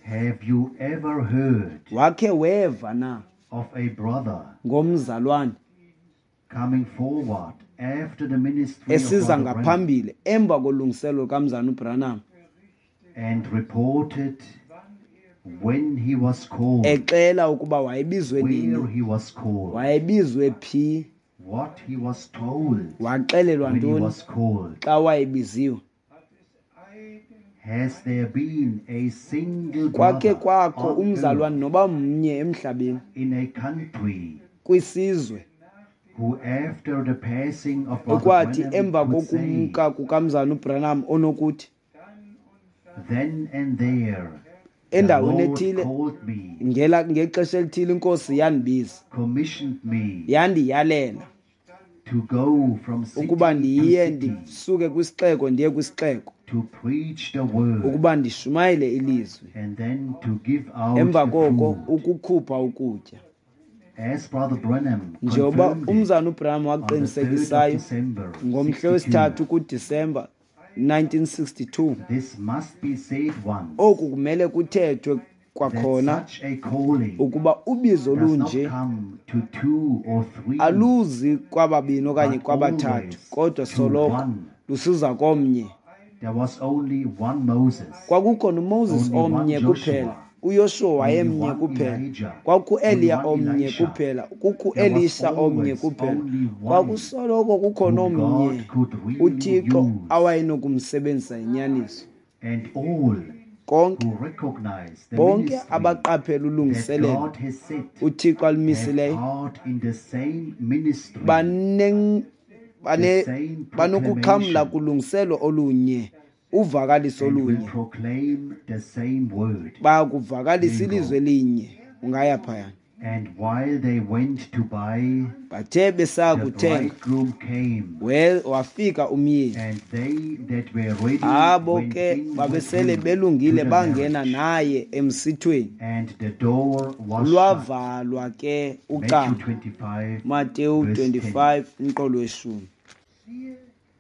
Have you ever heard Wakhe weva na of a brother ngomzalwane coming forward after the ministry of esiza Brother Branham ngaphambili emva kolungiselo lukamzana uBranham and reported when he was called, exela ukuba wayebizwe where nini, he was called, wayebizwe phi, what he was told waxelelwa when he ntoni was called? xa wayebiziwe? Has there been a single Kwakhe brother kwakho on umzalwane earth noba mnye emhlabeni in a country kwisizwe who after the passing of Brother ekwathi Branham emva could say, kokumka kukamzana uBranham onokuthi then and there the endaweni Lord ethile called me, ngela ngexesha elithile inkosi yandibiza, commissioned me yandiyalela to go from city ukuba to ndiye city ndisuke kwisixeko ndiye kwisixeko to preach the word ukuba ndishumayele ilizwi, and then to give out emva the koko food. ukukhupha ukutya. As Brother Branham Njengoba confirmed it umzana uBranham on the 3rd of waqinisekisayo December ngomhla 62, wesithathu kuDisemba 1962, this must be said once, oku kumele kuthethwe that kwakhona such a calling ukuba ubizo does not lunje come to two or three, aluzi kwababini okanye but kwabathathu, always kodwa to soloko one. lusiza komnye. There was only one Moses, Kwakukho noMoses only one omnye Joshua, kuphela, uYoshuwa only wayemnye one kuphela, Elijah, kwakukho-Eliya only one omnye Elisha. kuphela, There was kukho-Elisha omnye always kuphela. only one Kwakusoloko kukhona whom omnye God could really uThixo use. awayenokumsebenzisa inyaniso. And all Konke who recognize the bonke ministry abaqaphela that ulungiselelo God has set uThixo have alumisileyo part in the same ministry, the same banokuxhamla proclamation, kulungiselo olunye, uvakaliso and will olunye, proclaim the same word. bayakuvakalisa There you ilizwi go. elinye. Ungaya phayana. And while they went to buy, Bathe the besakuthenga, bridegroom came, wafika umyeni. and they that were ready Abo went ke in with babesele him to belungile the bangena marriage, naye emsithweni. and the door was shut. Lwavalwa ke Matthew ucango. 25, Mateyu verse 10. 25 umqolo weshumi.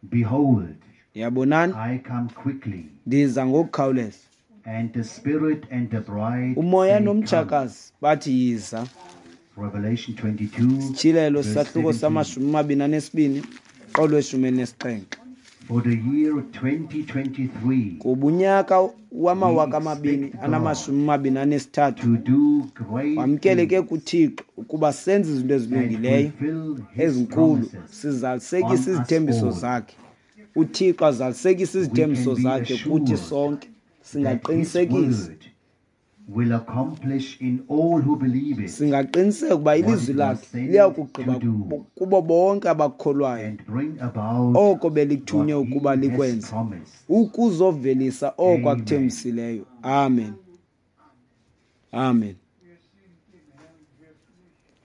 Behold, Yabonani, I come quickly, ndiza ngokukhawuleza. and the Spirit and the bride Umoya say, Come. nomtshakazi bathi yiza. Revelation 22, Sityhilelo verse sahluko 17. sama-22 qolo weshumi elinesixhenxe. For the year 2023, Kuba unyaka we wamawaka amabini expect God anamashumi amabini anesithathu to do great wamkeleke things kuThixo ukuba senze izinto and ezilungileyo fulfill His ezinkulu, promises sizalisekise on us izithembiso all. zakhe. uThixo azalisekise We izithembiso can be zakhe kuthi assured sonke. that His Singaqinisekisa. word will accomplish in all who believe it Singaqiniseka ukuba what ilizwi it was lakhe sent liyakugqiba to do kubo bonke abakholwayo and bring about oko belithunywe what ukuba He has likwenze, promised. ukuzovelisa oko Amen. akuthembisileyo. Amen. Amen.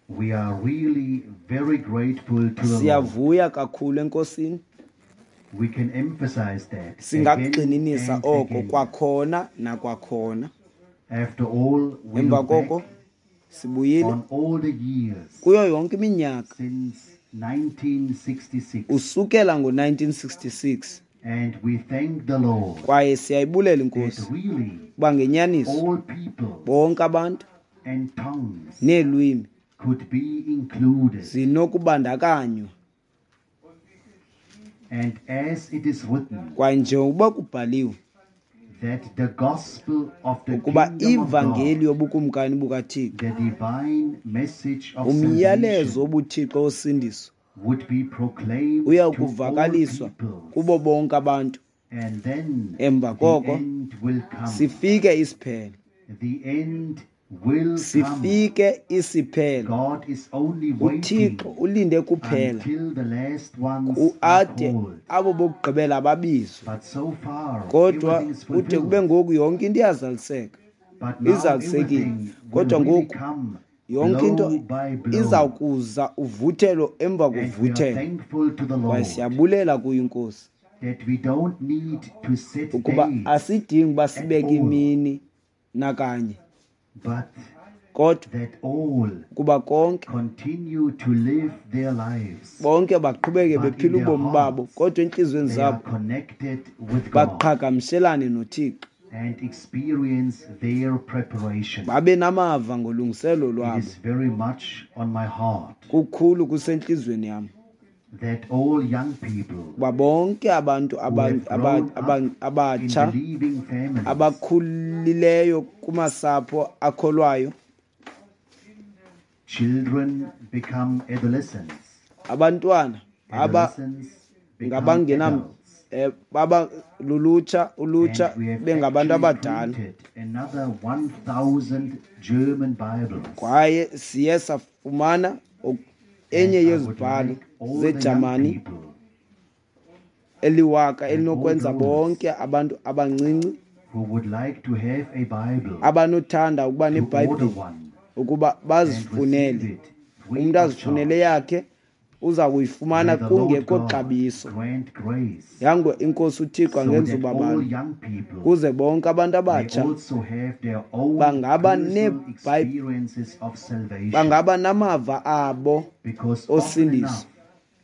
We are really very grateful to the Lord. Siyavuya kakhulu enkosini. We can emphasize that again Singakugxininisa and oko again. kwakhona nakwakhona. After all, we Emva look koko back sibuyile on all the years kuyo yonke iminyaka since 1966, usukela ngo-1966, and we thank the Lord kwaye siyayibulela that inkosi really kuba ngenyaniso all people bonke abantu and tongues neelwimi could be included. zinokubandakanywa. And as it is written, Kwaye njengokuba kubhaliwe that the gospel of the ukuba kingdom of ivangeli God, yobukumkani bukaThixo, the divine message of umyalezo salvation, wobuthixo wosindiso, would be proclaimed uya to all kuvakaliswa peoples, kubo bonke abantu, and then emva the koko end will come. sifike isiphelo. The end will come. Sifike isiphelo. God is only waiting uThixo ulinde kuphela until the last ones are ade called. abo bokugqibela babizwe. But so far, Kodwa everything is kude kube fulfilled. ngoku yonke into iyazaliseka, But now izalisekile. everything will Kodwa really ngoku come yonke into blow by blow. iza kuza uvuthelo emva And we are kovuthelo. thankful to the Kwaye Lord siyabulela kuyo inkosi that we don't need to set ukuba dates asidingi uba at sibeke all. imini. Nakanye. But Kodwa that all kuba konke continue to live their lives. Bonke baqhubeke But in bephila their ubomi babo, hearts, kodwa entliziyweni they are zabo connected with God baqhagamshelane noThixo and experience their preparation. Babe namava ngolungiselo It lwabo. is very much on my heart Kukhulu kusentliziyweni yam that all young people kuba bonke abantu who have grown up in abatsha believing families abakhulileyo kumasapho akholwayo, children become adolescents, abantwana baba adolescents become ngabangena adults. baba lulutsha, ulutsha And we have bengabantu actually abadala. printed another 1,000 German Bibles. Kwaye siye safumana enye And I would yezibhalo like all the young zeJamani people eliwaka and elinokwenza all those bonke abantu abancinci who would like to have a Bible abanothanda ukuba to order neBhayibhile one ukuba and bazifunele. receive it free Umntu of azifunele charge. yakhe, uza kuyifumana May the Lord kungekho God xabiso. grant grace Yango inkosi uThixo so angenza that all ubabalo young people kuze bonke abantu may abatsha also have their own bangaba personal experiences of salvation. bangaba namava abo Because often osindiso. enough,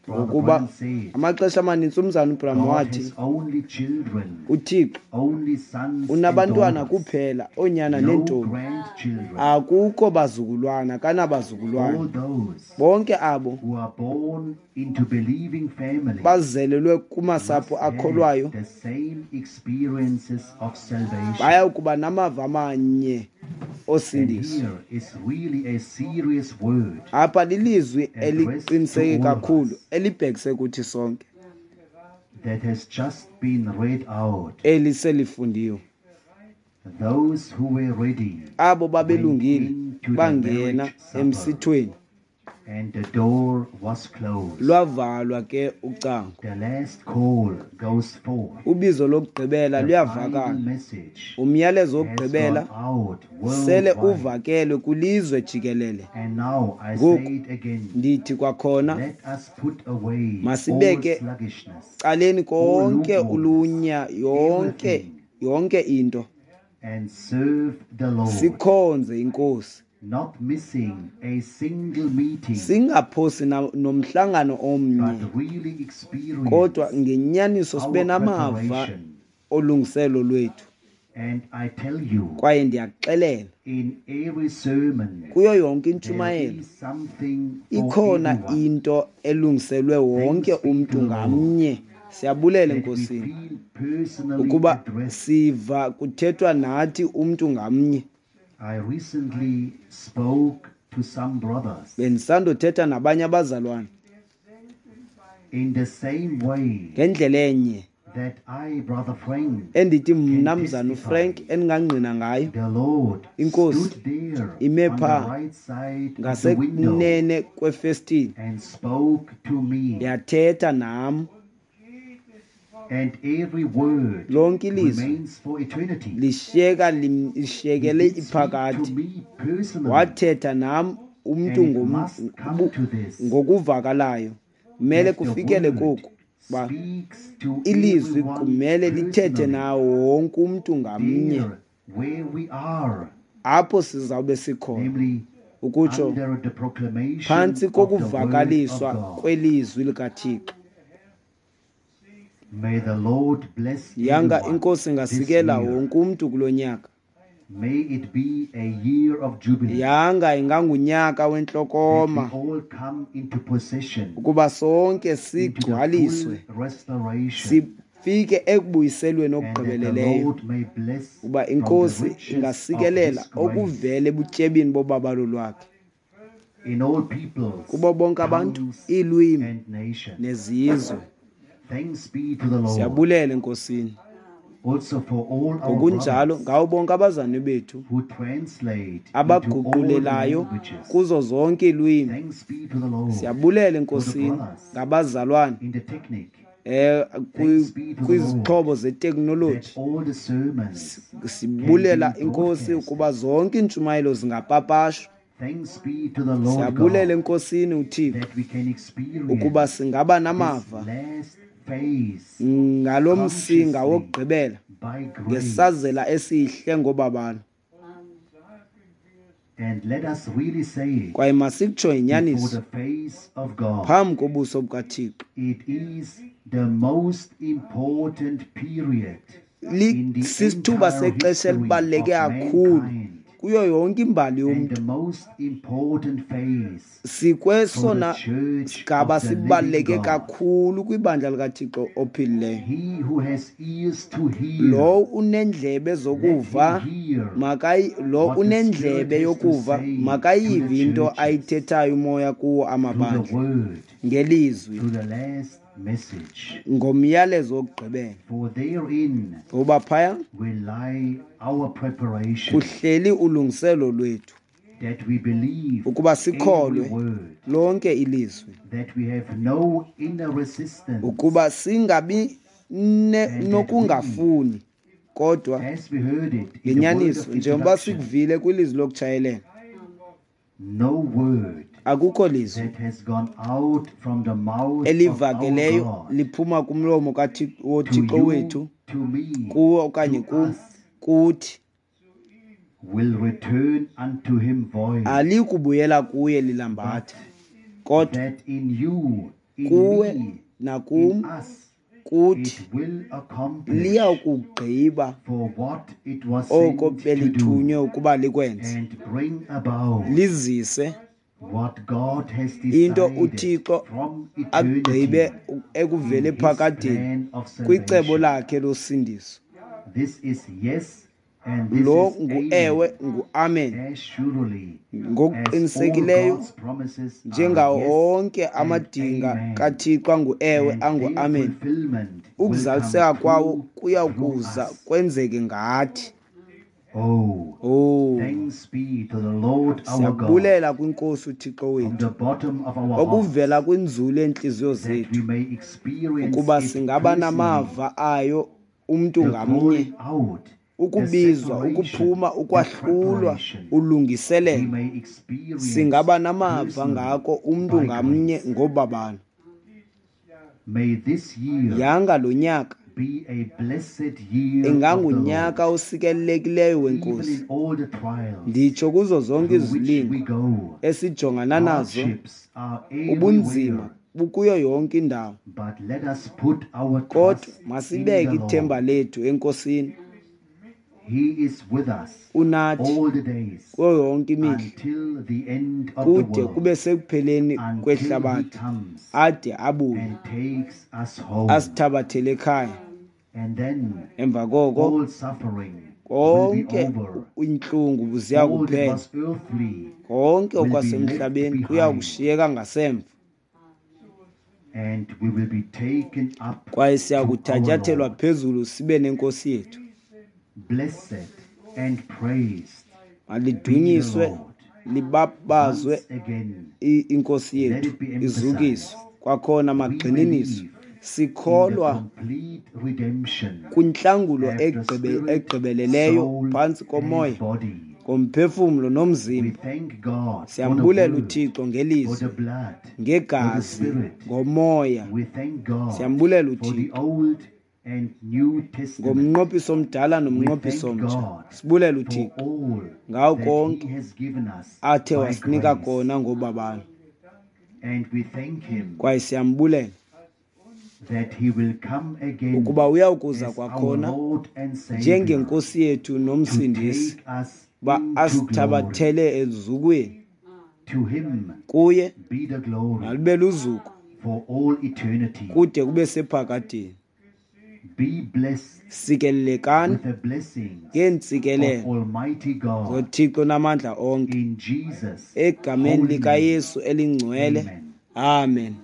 Brother Ngokuba Branham said, amaxesha amanintsi umzana uBranham God wathi has only children, uThixo only sons and unabantwana daughters, kuphela, oonyana no neentombi, grandchildren. Akukho bazukulwana, kanabazukulwana. All those Bonke abo who are born into believing families bazelelwe kumasapho must have akholwayo the same experiences of salvation. Baya kuba namava amanye And osindiso. here is really a serious word Apha lilizwi addressed eliqiniseke to all of kakhulu us elibhekise kuthi sonke that has just been read out. Eliselifundiwe. Those who were ready Abo went babelungile into the bangena marriage supper, emsithweni. and the door was closed. Lwavalwa ke ucango. The last call goes forth. Ubizo lokugqibela The luyavakala. final message Umyalezo has wokugqibela gone out sele worldwide. uvakele kwilizwe jikelele. And now I Ngoku say it again. ndithi kwakhona, Let us put away all masibeke sluggishness, caleni all konke lukewarmness, ulunya, yonke everything, yonke into, and serve the Lord, sikhonze inkosi, not missing a single meeting, singaphosi nomhlangano omnye, but really experience kodwa ngenyaniso sibe our namava preparation. olungiselo lwethu. And I tell you, Kwaye ndiyakuxelela, in every sermon, kuyo yonke there intshumayelo is something for ikhona everyone. into elungiselwe wonke Thanks be umntu to the Lord ngamnye. Siyabulela that we enkosini feel personally ukuba addressed. siva kuthethwa nathi umntu ngamnye. I recently spoke to some brothers Bendisandothetha nabanye abazalwane in the same way ngendlela enye that I, Brother Frank, endithi mna can mzana testify. uFrank endingangqina ngayo. The Lord Inkosi stood there ime on the pha right side of the window ngasekunene kwefestile and spoke to me, yathetha nam. and every word Lonke ilizwi remains for eternity. lishiyeka He lishiyekele did speak to iphakade. me personally, Wathetha nam umntu and it must come to this ngokuvakalayo. Kumele that the kufikele word koku ba speaks to ilizwi everyone kumele lithethe personally. nawo wonke umntu ngamnye. There where we are, Apho sizawube sikhona, namely ukutsho under the proclamation phantsi of the word of kokuvakaliswa God. kwelizwi likaThixo. May the Lord bless Yanga everyone inkosi this ingasikela year. wonke umntu kulo nyaka. May it be a year of jubilee. Yanga ingangunyaka That wentlokoma we all come into possession, ukuba sonke into the sigcwaliswe, full restoration, sifike ekubuyiselweni and that the okugqibeleleyo, Lord may bless uba from the inkosi riches of ingasikelela His grace okuvela ebutyebini bobabalo lwakhe in all peoples, kubo bonke abantu, tongues, iilwimi and nations. nezizwe. Thanks be to the Lord. Siyabulela enkosini. Also for all our Ngokunjalo brothers ngawo bonke abazalwane bethu who translate into all abaguqulelayo languages. kuzo zonke iilwimi. Thanks be to the Lord Siyabulela for the enkosini brothers ngabazalwane in the technique. eh Thanks be to the Lord kwizixhobo that zeteknoloji. all the sermons can Sibulela be inkosi broadcasted. ukuba zonke iintshumayelo zingapapashwa. Thanks be to the Lord Siyabulela God enkosini uThixo that we can ukuba experience singaba this namava last phase ngalo msinga consciously wokugqibela by grace. ngesazela esihle ngobabalo. And let us really say it Kwaye masikutsho before inyaniso the face of God. phambi kobuso bukaThixo. It is the most important period in the Sisithuba entire sexesha history elibaluleke of kakhulu mankind kuyo yonke imbali and yomntu. the most important phase for Sikwesona the church sigaba of the living sibaluleke God. kakhulu kwibandla likaThixo ophilileyo. He who has ears to hear, Lo unendlebe let zokuva him hear makayi lo what the Spirit unendlebe has to yokuva say to makayive the into churches ayithethayo umoya kuwo through the amabandla word, ngelizwi through the last message. ngomyalezo wokugqibela. For therein Ngoba phaya will lie our preparation kuhleli ulungiselo lwethu that we believe ukuba every sikholwe word, lonke ilizwi, that we have no inner resistance, ukuba singabi and that we, nokungafuni, kodwa as we heard it in the word ngenyaniso of njengoba introduction, sikuvile kwilizwi lokutshayelela, no word akukho lizwi that has gone out from the mouth of our elivakeleyo God liphuma kumlomo to woThixo you, wethu to me, kuwe okanye to kum us, kuthi will return unto him void, alikubuyela kuye but lilambatha, kodwa that in you, in kuwe me, in nakum us, kuthi it will accomplish liyakugqiba for what it was oko sent to belithunywe do ukuba likwenze, and bring about lizise what God has into decided uThixo from agqibe eternity ekuvele in his phakadeni plan of kwicebo salvation. lakhe losindiso. This is yes and this Lo is nguewe amen. nguamen As surely as all ngokuqinisekileyo God's promises are njengawo yes onke and amadinga amen, kaThixo anguewe and their anguamen, fulfillment will come ukuzaliseka kwawo true kuya through kuza us. kwenzeke ngathi. Oh, Oh, thanks be to the Lord our God siyabulela kwinkosi uThixo from wethu the bottom of our hearts okuvela kwinzulu yeentliziyo that we zethu may experience ukuba it singaba personally, namava ayo umntu the ngamnye, calling out, the ukubizwa, separation, ukuphuma, the ukwahlulwa, preparation. We ulungiselelo. may experience Singaba namava personally ngako umntu by ngamnye grace. ngobabalo. May this year Yanga lo nyaka be a blessed year of the ingangunyaka Lord, osikelelekileyo even wenkosi. in all the trials Nditsho kuzo zonke through which we izilingo go. esijongana nazo, Hardships are ubunzima everywhere, bukuyo yonke indawo, but let us put our kodwa trust in masibeke the ithemba Lord. lethu enkosini. He is with us Unathi all the days kuyo yonke imihla until the end of the kude world, kube sekupheleni until He kwehlabathi, comes ade abuye and takes us home. asithabathele ekhaya. And then Emva koko all suffering will be konke over. intlungu ziya All that kuphela, was earthly konke will be left okwasemhlabeni kuya behind, kushiyeka ngasemva, and we will be taken up kwaye siya to our kuthatyathelwa Lord. phezulu sibe nenkosi yethu. Blessed and praised be the Malidunyiswe Lord. libabazwe Once again, inkosi let yethu, it be izukiswe emphasized, kwakhona we magxininiswe. believe in the Sikholwa complete redemption kwintlangulo after spirit, egqibeleleyo soul, phantsi and komoya, body. ngomphefumlo We nomzimba. thank God for the Siyambulela word, uThixo for ngelizwi, the blood, for the ngegazi, spirit. ngomoya. We thank God Siyambulela for the uThixo Old and New Testament. ngomnqophiso omdala We nomnqophiso thank omtsha. God Sibulela for uThixo all ngawo that He konke has given us athe by wasinika grace. kona ngobabalo, And we thank Him kwaye siyambulela that He will come again ukuba uyawukuza as our kwakhona Lord and Savior njengenkosi yethu to nomsindisi, take us uba into glory. asithabathele ezukweni. To Him Kuye be the glory malube luzuko for all eternity. kude kube sephakadeni. Be blessed Sikelelekani with the blessings of ngeentsikelelo Almighty God zoThixo namandla onke in Jesus' egameni holy name. likaYesu elingcwele. Amen. Amen.